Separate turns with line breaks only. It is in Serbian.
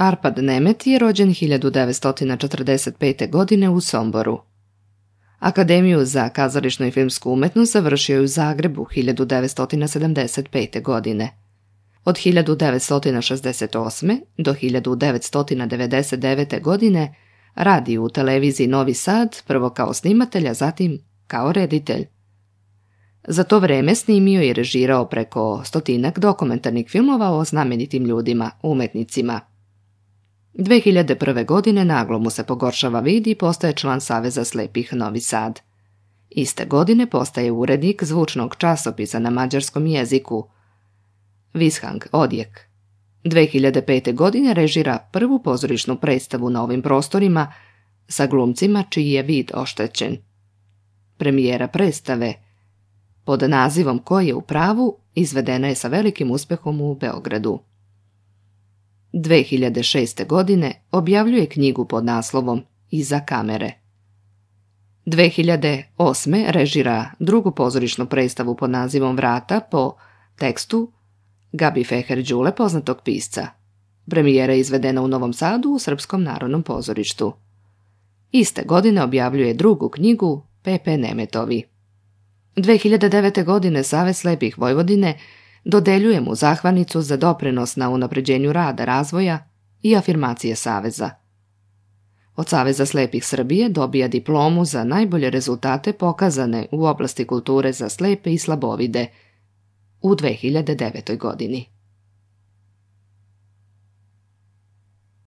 Arpad Nemet je rođen 1945. godine u Somboru. Akademiju za kazališnu i filmsku umetnost završio je u Zagrebu 1975. godine. Od 1968. do 1999. godine radi u televiziji Novi Sad, prvo kao snimatelj, a zatim kao reditelj. Za to vreme snimio i režirao preko 100 dokumentarnih filmova o znamenitim ljudima, umetnicima. 2001. godine naglo mu se pogoršava vid i postaje član Saveza slepih Novi Sad. Iste godine postaje urednik zvučnog časopisa na mađarskom jeziku Vishang Odjek. 2005. godine režira prvu pozorišnu predstavu na ovim prostorima sa glumcima čiji je vid oštećen. Premijera predstave pod nazivom Ko je u pravu izvedena je sa velikim uspehom u Beogradu. 2006. godine objavljuje knjigu pod naslovom Iza kamere. 2008. režira drugu pozorišnu predstavu pod nazivom Vrata po tekstu Gabi Feher Đule, poznatog pisca. Premijera je izvedena u Novom Sadu u Srpskom narodnom pozorištu. Iste godine objavljuje drugu knjigu Pepe Nemetovi. 2009. godine Savez slepih Vojvodine dodeljuje mu zahvalnicu za doprinos na unapređenju rada, razvoja i afirmacije Saveza. Od Saveza slepih Srbije dobija diplomu za najbolje rezultate pokazane u oblasti kulture za slepe i slabovide u 2009. godini.